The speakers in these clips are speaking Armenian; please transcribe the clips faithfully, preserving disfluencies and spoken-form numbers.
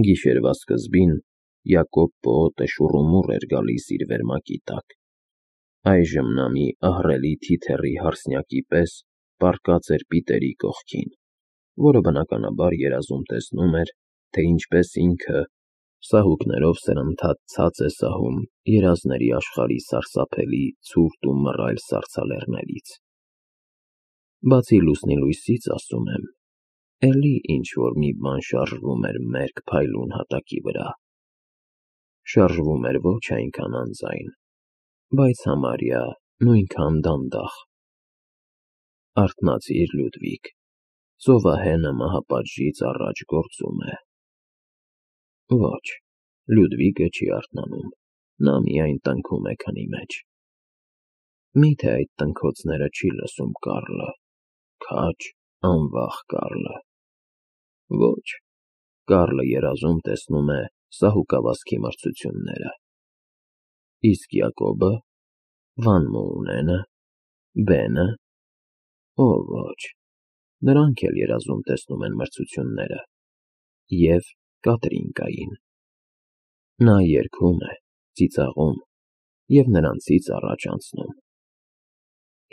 Գիշերվա սկզբին Յակոբ պողոտը շուռումուռ էր գալիս իր վերմակի տակ, այժմ նա մի ահռելի թիթեռի հարսնյակի պես պառկած էր Պիտերի կողքին, որը բնականաբար երազում տեսնում էր, թե ինչպես ինքը սահուկներով սրընթաց ցած է սահում երազների աշխարհի սարսափելի, ցուրտ ու մռայլ սառցալեռներից։ Բացի լուսնի լույսից, ասում եմ, էլի ինչ-որ մի բան շարժվում էր մերկ փայլուն հատակի վրա, շարժվում էր ոչ այնքան անձայն, բայց համարյա նույնքան դանդաղ։ Արթնացիր, Լյուդվիգ, ծովահենը մահապատժից առաջ գործում է։ Ոչ, Լյուդվիգը չի արթնանում, նա միայն տնքում է քնի մեջ։ Մի՞թե այդ տնքոցները չի լսում Կարլը, քաջ, անվախ Կարլը։ Ոչ, Կարլը երազում տեսնում է սահուկավազքի մրցությունները։ Իսկ Յակոբը, Վան Մոունենը, Բենը, օ ոչ, նրանք էլ երազում տեսնում են մրցությունները և Կատրինկային։ Նա երգում է, ծիծաղում և նրանցից առաջ անցնում։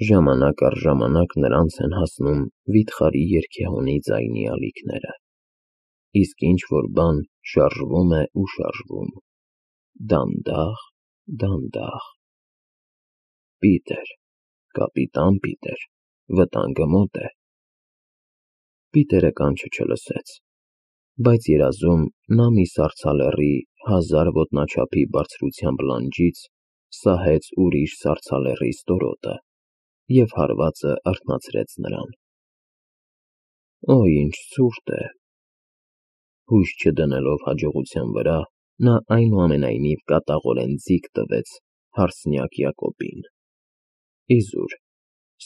Ժամանակ առ ժամանակ նրանց են հասնում վիթխարի երգեհոնի ձայնի ալիքները, իսկ ինչ-որ բան շարժվում է ու շարժվում, դանդաղ, դանդաղ։ Պիտեր, կապիտան Պիտեր, վտանգը մոտ է։ Պիտերը կանչը չլսեց, բայց երազում նա մի սառցալեռի հազար ոտնաչափի բարձրությամբ լանջից սահեց ուրիշ սառցալեռի ստորոտը և հարվածը արթնացրեց նրան։ Օ, ինչ ցուրտ է։ Հույս չդնելով հաջողության վրա, նա այնուամենայնիվ կատաղորեն ձիգ տվեց հարսնյակ Յակոբին։ Իզուր,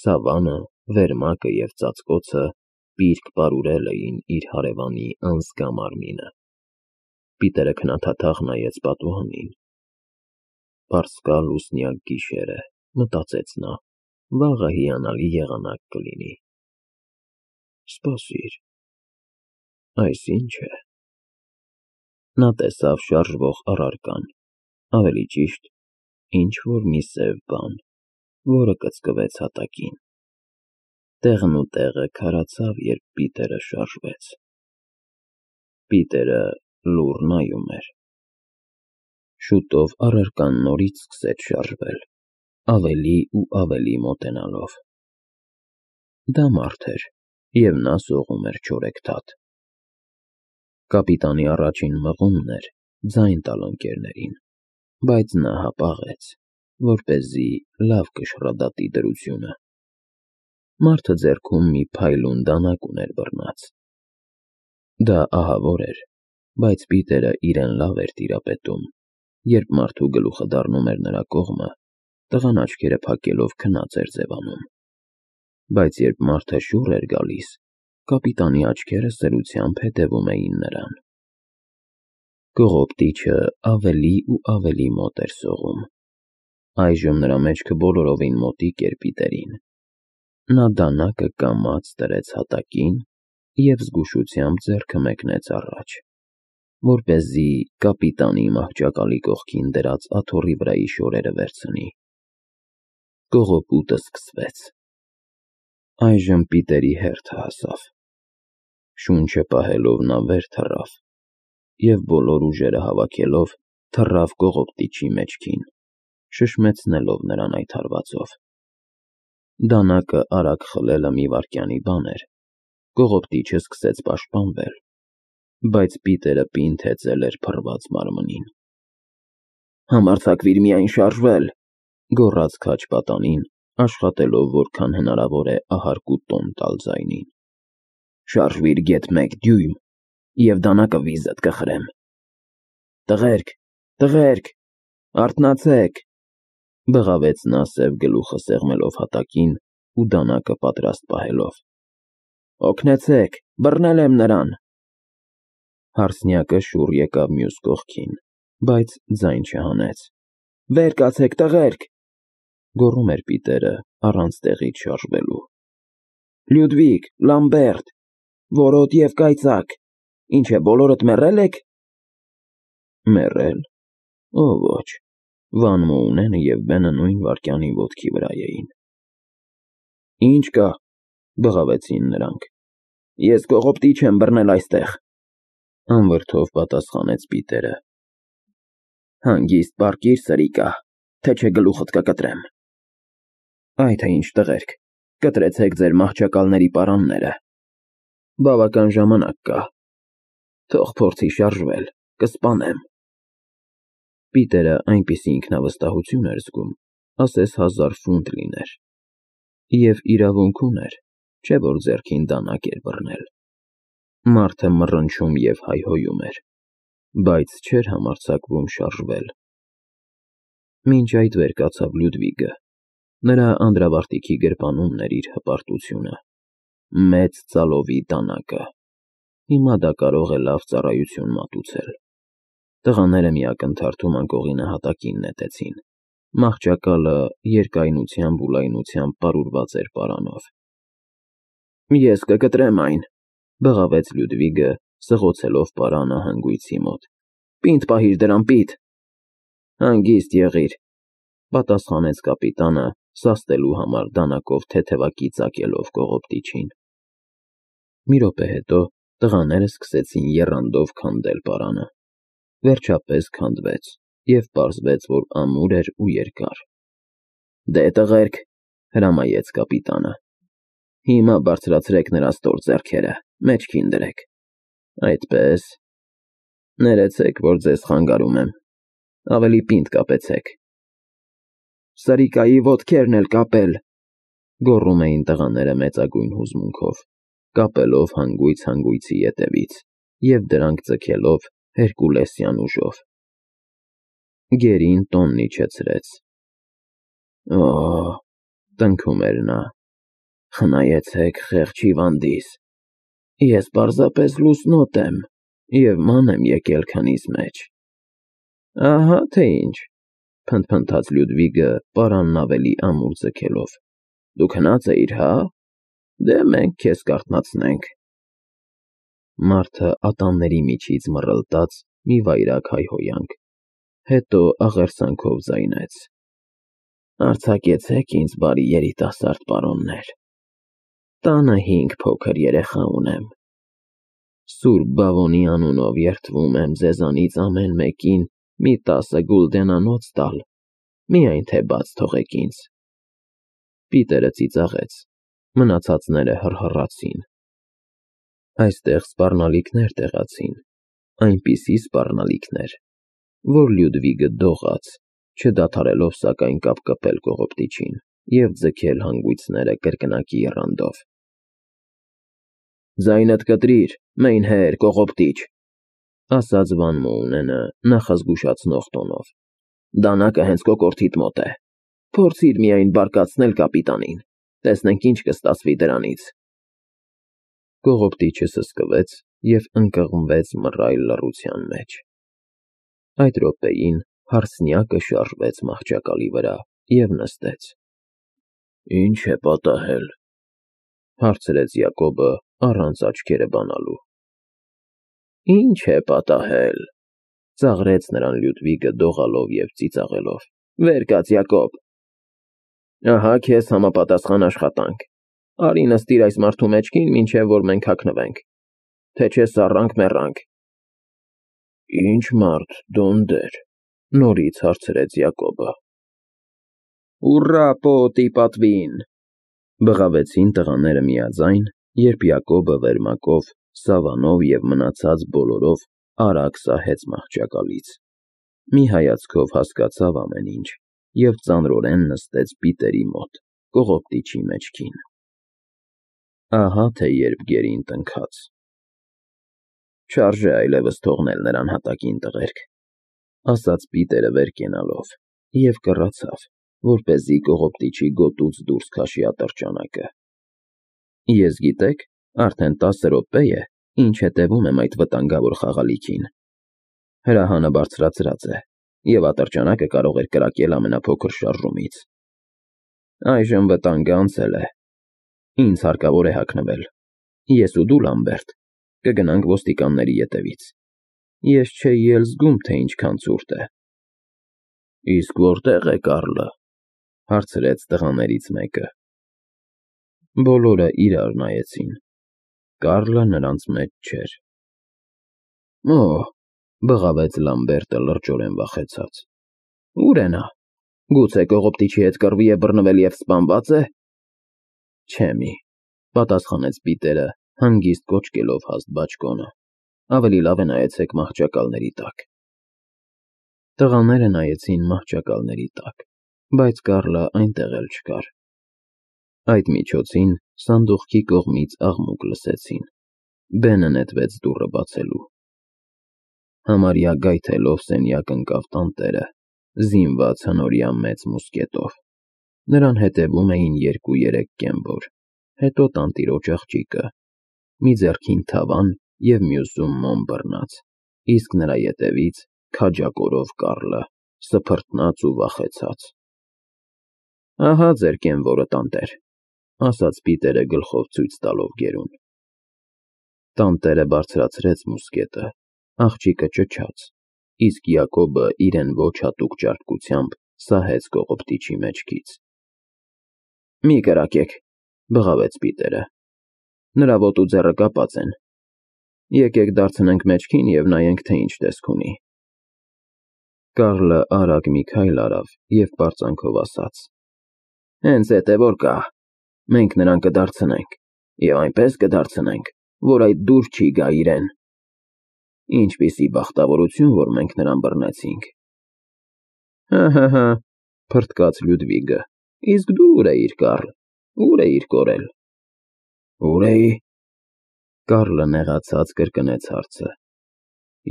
սավանը, վերմակը և ծածկոցը պիրկ պարուրել էին իր հարևանի անզգա մարմինը։ Պիտերը քնաթաթախ նայեց պատուհանին։ Պարսկալ լուսնյակ գիշեր է, մտածեց նա, վաղը հիանալի եղանակ կլինի։ Սպասիր, այս ի՞նչ է։ Նա տեսավ շարժվող առարկան, ավելի ճիշտ, ինչ-որ մի սև բան, որը կծկվեց հատակին։ Տեղն ու տեղը քարացավ, երբ Պիտերը շարժվեց։ Պիտերը լուռ նայում էր։ Շուտով առարկան նորից սկսեց շարժվել, ավելի ու ավելի մոտենալով։ Դա մարդ էր, և նա սողում էր չորեքթաթ։ Կապիտանի առաջին մղումն էր ձայն տալ ընկերներին, բայց նա հապաղեց, որպեսզի լավ կշռադատի դրությունը։ Մարդը ձեռքում մի փայլուն դանակ ուներ բռնած։ Դա ահավոր էր, բայց Պիտերը իրեն լավ էր տիրապետում, երբ մարդու գլուխը դառնում էր նրա կողմը, տղան աչքերը փակելով քնած էր ձևանում։ Բայց երբ մարդը շուռ էր գալիս, կապիտանի աչքերը սրությամբ հետևում էին նրան։ Կողոպտիչը ավելի ու ավելի մոտ էր սողում։ Այժմ նրա մեջքը բոլորովին մոտիկ էր Պիտերին։ Նա դանակը կամաց դրեց հատակին և զգուշությամբ ձեռքը մեկնեց առաջ, որպեսզի կապիտանի մահճակալի կողքին դրած աթոռի վրայի շորերը վերցնի։ Կողոպուտը սկսվեց։ Այժմ Պիտերի հերթը հասավ։ Շունչը պահելով նա վեր թռավ և բոլոր ուժերը հավաքելով թռավ կողոպտիչի մեջքին, շշմեցնելով նրան այդ հարվածով։ Դանակը արագ խլելը մի վայրկյանի բան էր, կողոպտիչը սկսեց պաշտպանվել, բայց Պիտերը պինդ հեծել էր փռված մարմնին։ Համարձակվիր միայն շարժվել, գոռաց քաջ պատանին, աշխատելով որքան հնարավոր է ահարկու տոն տալ ձայնին։ Շարժվիր գեթ մեկ դյույմ, և դանակը վիզդ կխրեմ։ Տղերք, տղերք, արթնացեք, բղավեց նա սև գլուխը սեղմելով հատակին ու դանակը պատրաստ պահելով։ Օգնեցեք, բռնել եմ նրան։ Հարսնյակը շուռ եկավ մյուս կողքին, բայց ձայն չհանեց։ Վեր կացեք, տղերք, գոռում էր Պիտերը, առանց տեղից շարժվելու։ Լյուդվիգ, Լամբերտ, որոտ և կայծակ, ինչ է, բոլորդ մեռե՞լ եք։ Մեռել։ Օ ոչ, Վան Մոունենը և Բենը նույն վայրկյանին ոտքի վրա էին։ Ինչ կա, բղավեցին նրանք։ Ես կողոպտիչ եմ բռնել այստեղ, անվրդով պատասխանեց Պիտերը։ Հանգիստ պառկիր, սրիկա, թե չէ գլուխդ կկտրեմ։ Այ թե ինչ տղերք, կտրեցեք ձեր մահճակալների պարանները։ Բավական ժամանակ կա։ Թող փորձի շարժվել, կսպանեմ։ Պիտերը այնպիսի ինքնավստահություն էր զգում, ասես հազար ֆունտ լիներ։ Եվ իրավունք ուներ, չէ՞ որ ձեռքին դանակ էր բռնել։ Մարդը մռնչում և հայհոյում էր, բայց չէր համարձակվում շարժվել։ Մինչ այդ վեր կացավ Լյուդվիգը։ Նրա անդրավարտիքի գրպանումն էր իր հպարտությունը։ Մեծ ծալովի դանակը։ Հիմա դա կարող է լավ ծառայություն մատուցել։ Տղաները մի ակնթարթում անկողինը հատակին նետեցին։ Մահճակալը երկայնությամբ ու լայնությամբ պարուրված էր պարանով։ Ես կկտրեմ այն, բղավեց Լյուդվիգը, սղոցելով պարանը հանգույցի մոտ։ Պինդ պահիր դրան, պիտ։ Հանգիստ եղիր, պատասխանեց կապիտանը, սաստելու համար դանակով թեթևակի ծակելով կողոպտիչին։ Մի րոպե հետո տղաները սկսեցին եռանդով քանդել պարանը։ Վերջապես քանդվեց, և պարզվեց, որ ամուր էր ու երկար։ Դե տղերք, հրամայեց կապիտանը։ Հիմա բարձրացրեք նրա ստոր ձեռքերը, մեջքին դրեք։ Այդպես։ Ներեցեք, որ ձեզ խանգարում եմ։ Ավելի պինդ կապեցեք։ Սրիկայի ոտքերն էլ կապել, գոռում էին տղաները մեծագույն հուզմունքով, կապելով հանգույց հանգույցի ետևից և դրանք ձգելով հերկուլեսյան ուժով։ Գերին տոնն իջեցրեց։ Օ, տնքում էր նա, խնայեցեք խեղճ հիվանդիս։ Ես պարզապես լուսնոտ եմ և ման եմ եկել քնից մեջ։ Ահա թե ինչ, փնթփնթաց Լյուդվիգը պարանն ավելի ամուր ձգելով։ Դու քնած էիր, հա՞։ Դե մենք քեզ կարթնացնենք։ Մարդը ատամների միջից մռլտաց մի վայրագ հայհոյանք, հետո աղերսանքով ձայնեց. Արձակեցեք ինձ, բարի երիտասարդ պարոններ։ Տանը հինգ փոքր երեխա ունեմ։ Սուրբ Բավոնի անունով երդվում եմ ձեզանից ամեն մեկին մի տասը գուլդենանոց տալ, միայն թե բաց թողեք ինձ։ Պիտերը ծիծաղեց, մնացածները հռհռացին։ Այստեղ սպառնալիքներ տեղացին, այնպիսի սպառնալիքներ, որ Լյուդվիգը դողաց, չդադարելով սակայն կապկպել կողոպտիչին և ձգել հանգույցները կրկնակի եռանդով։ Ձայնդ կտրիր, մայնհեր, կողոպտիչ, ասաց Վան Մոունենը նախազգուշացնող տոնով։ Դանակը հենց կոկորդիդ մոտ է։ Փորձիր միայն բարկացնել կապիտանին, տեսնենք ինչ կստացվի դրանից։ Կողոպտիչը սսկվեց և ընկղմվեց մռայլ լռության մեջ։ Այդ րոպեին հարսնյակը շարժվեց մահճակալի վրա և նստեց։ Ինչ է պատահել, հարցրեց Յակոբը առանց աչքերը բանալու։ Ինչ է պատահել, ծաղրեց նրան Լյուդվիգը դողալով և ծիծաղելով։ Վեր կաց, Յակոբ։ Ահա քեզ համապատասխան աշխատանք։ Արի նստիր այս մարդու մեջքին, մինչև որ մենք հագնվենք, թե չէ սառանք մեռանք։ Ինչ մարդ, դոնդեր, նորից հարցրեց Յակոբը։ Ուռա պոտի պատվին, բղավեցին տղաները միաձայն, երբ Յակոբը վերմակով, սավանով և մնացած բոլորով արագ սահեց մահճակալից։ Մի հայացքով հասկացավ ամեն ինչ և ծանրորեն նստեց Պիտերի մոտ, կողոպտիչի մեջքին։ Ահա թե երբ գերին տնքաց։ Չարժե այլևս թողնել նրան հատակին, տղերք, ասաց Պիտերը վեր կենալով և կռացավ, որպեսզի կողոպտիչի գոտուց դուրս քաշի ատրճանակը։ Ես գիտեք, արդեն տասը րոպե է, ինչ հետևում եմ այդ վտանգավոր խաղալիքին։ Հրահանը բարձրացրած է, և ատրճանակը կարող էր կրակել ամենափոքր շարժումից։ Այժմ վտանգը անցել է։ Ինձ հարկավոր է հագնվել։ Ես ու դու, Լամբերտ, կգնանք ոստիկանների ետևից։ Ես չէի էլ զգում, թե ինչքան ցուրտ է։ Իսկ որտե՞ղ է Կարլը,֊ հարցրեց տղաներից մեկը։ Բոլորը իրար նայեցին։ Կարլը նրանց մեջ չէր։ Օ՜, բղավեց Լամբերտը լրջորեն վախեցած։ Ո՞ւր է նա։ Գուցե կողոպտիչի հետ կռվի է բռնվել և սպանվա՞ծ է։ Չէ մի, պատասխանեց Պիտերը, հանգիստ կոչկելով հաստ բաճկոնը։ Ավելի լավ է նայեցեք մահճակալների տակ։ Տղաները նայեցին մահճակալների տակ, բայց Կարլը այնտեղ էլ չկար։ Այդ միջոցին սանդուղքի կողմից աղմուկ լսեցին։ Բենը նետվեց դուռը բացելու։ Համարյա գայթելով սենյակ ընկավ տանտերը, զինված հնորյա մեծ մուսկետով։ Նրան հետևում էին երկու֊երեք կեմբոր, հետո տանտիրոջ աղջիկը, մի ձեռքին թավան և մյուսում մոմ բռնած, իսկ նրա ետևից քաջակորով Կարլը, սփռտնաց ու վախեցած։ Ահա ձեր կենվորը, տանտեր, ասաց Պիտերը գլխով ցույց տալով գերուն։ Տանտերը բարձրացրեց մուսկետը, աղջիկը ճչաց, իսկ Յակոբը իրեն ոչ հատուկ ճարպկությամբ սահեց կողոպտիչի մեջքից։ Մի կրակեք, բղավեց Պիտերը։ Նրա ոտու ձեռը կապած են։ Եկեք դարձնենք մեջքին և նայենք, թե ինչ տեսք ունի։ Կարլը արագ մի քայլ արավ և պարծանքով ասաց. Հենց էդ է որ կա։ Մենք նրան կդարձնենք և այնպես կդարձնենք, որ այդ դուր չի գա իրեն։ Ինչպիսի բախտավորություն, որ մենք նրան բռնեցինք։ Հը, հը, փռթկաց Լյուդվիգը, իսկ դու ուր էիր, Կարլ, ուր էիր կորել։ Ուր էի։ Կարլը նեղացած կրկնեց հարցը։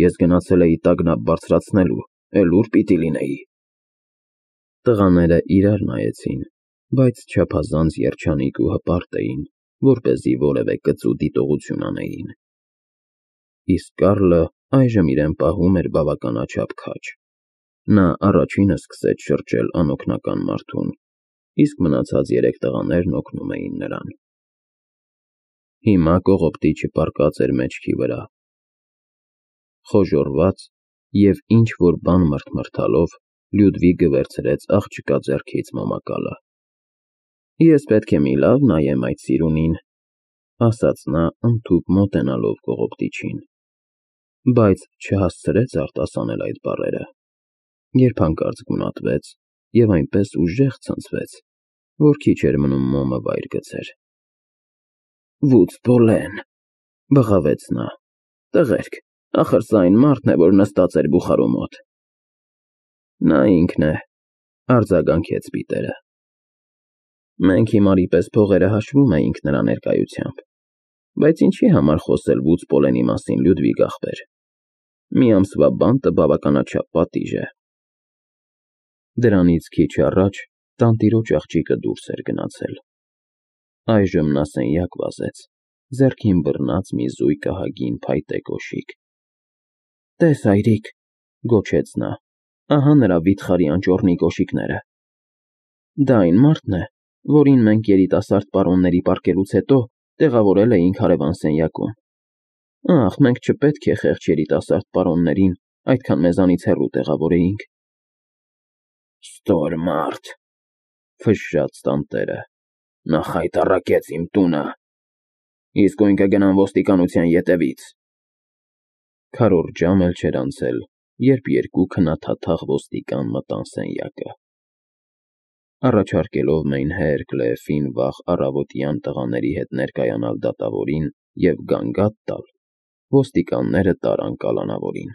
Ես գնացել էի տագնապ բարձրացնելու, էլ ուր պիտի լինեի։ Տղաները իրար նայեցին, բայց չափազանց երջանիկ ու հպարտ էին, որպեսզի որևէ կծու դիտողություն անեին։ Իսկ Կարլը այժմ իրեն պահում էր բավականաչափ քաջ։ Նա առաջինը սկսեց շրջել անօգնական մարդուն, իսկ մնացած երեք տղաներն օգնում էին նրան։ Հիմա կողոպտիչը պառկած էր մեջքի վրա։ Խոժոռված և ինչ֊որ բան մռթմռթալով Լյուդվիգը վերցրեց աղջկա ձեռքից մոմակալը։ Ես պետք է մի լավ նայեմ այդ սիրունին, ասաց նա ընդհուպ մոտենալով կողոպտիչին, բայց չհասցրեց արտասանել այդ բառերը, երբ հանկարծ գունատվեց և այնպես ուժեղ ցնցվեց, որ քիչ էր մնում մոմը վայր գցեր։ Վուց Պոլեն, բղավեց նա, տղերք, ախր սա այն մարդն է, որ նստած էր բուխարու մոտ։ Նա ինքն է, արձագանքեց Պիտերը։ Մենք հիմարի պես փողերը հաշվում էինք նրա ներկայությամբ, բայց ինչի համար խոսել Վուց Պոլենի մասին, Լյուդվիգ ախպեր։ Մի ամսվա բանտը բավականաչափ պատիժ է։ Դրանից քիչ առաջ տանտիրոջ աղջիկը դուրս էր գնացել։ Այժմ նա սենյակ վազեց, ձեռքին բռնած մի զույգ ահագին փայտե կոշիկ։ Տես, այրիկ, գոչեց նա, ահա նրա վիթխարի անճոռնի կոշիկները։ Դա այն մարդն է, որին մենք երիտասարդ պարոնների պառկելուց հետո տեղավորել էինք հարևան սենյակում։ Ախ, մենք չպետք է խեղճ երիտասարդ պարոններին այդքան մեզանից հեռու տեղավորեինք։ Ստոր մարդ, ֆշշաց տանտերը, նա խայտառակեց իմ տունը։ Իսկույն կգնամ ոստիկանության ետևից։ Քառորդ ժամ էլ չէր անցել, երբ երկու քնաթաթախ ոստիկան մտան սենյակը։ Առաջարկելով Մեյնհեր Քլեֆին վաղ առավոտյան տղաների հետ ներկայանալ դատավորին և գանգատ տալ, ոստիկանները տարան կալանավորին։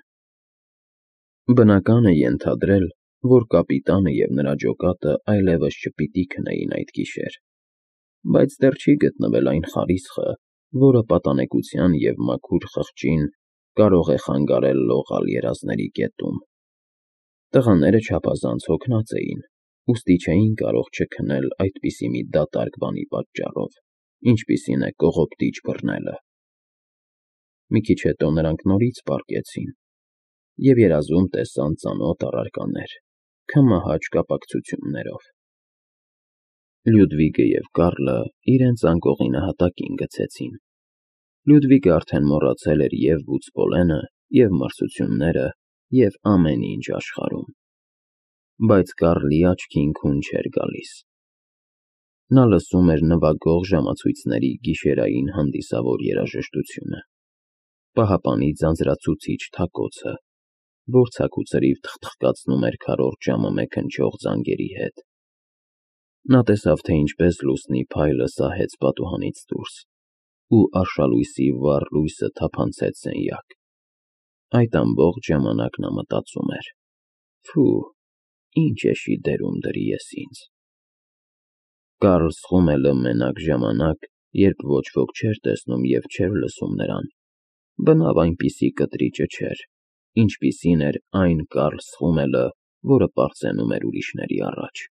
Բնական է ենթադրել, որ կապիտանը և նրա ջոկատը այլևս չպիտի քնեին այդ գիշեր, բայց դեռ չի գտնվել այն խարիսխը, որը պատանեկության և մաքուր խղճին կարող է խանգարել լողալ երազների կետում։ Տղաները չափազանց հոգնած էին, ուստի չէին կարող չքնել այդպիսի մի դատարկ բանի պատճառով, ինչպիսին է կողոպտիչ բռնելը։ Մի քիչ հետո նրանք նորից պառկեցին և երազում տեսան ծանոթ առարկաներ, քմահաճ կապակցություններով։ Լյուդվիգը և Կարլը իրենց անկողինը հատակին գցեցին։ Լյուդվիգը արդեն մոռացել էր և Վուց Պոլենը, և մրցությունները, և ամեն ինչ աշխարհում։ Բայց Կարլի աչքին քուն չէր գալիս։ Նա լսում էր նվագող ժամացույցների գիշերային հանդիսավոր երաժշտությունը, պահապանի ձանձրացուցիչ թակոցը, որ ցաքուցրիվ թխթխկացնում էր քառորդ ժամը մեկ հնչող զանգերի հետ։ Նա տեսավ, թե ինչպես լուսնի փայլը սահեց պատուհանից դուրս, ու արշալույսի վառ լույսը թափանցեց սենյակ։ Այդ ամբողջ ժամանակ նա մտածում էր. «Փո՜ւ, ինչ էշի դերում դրի ես ինձ»։ Կարլ Սխումելը մենակ ժամանակ, երբ ոչ ոք չէր տեսնում և չէր լսում նրան, բնավ այնպիսի կտրիճը չէր, ինչպիսին էր այն Կարլ Սխումելը, որը պարծենում էր ուրիշների առաջ։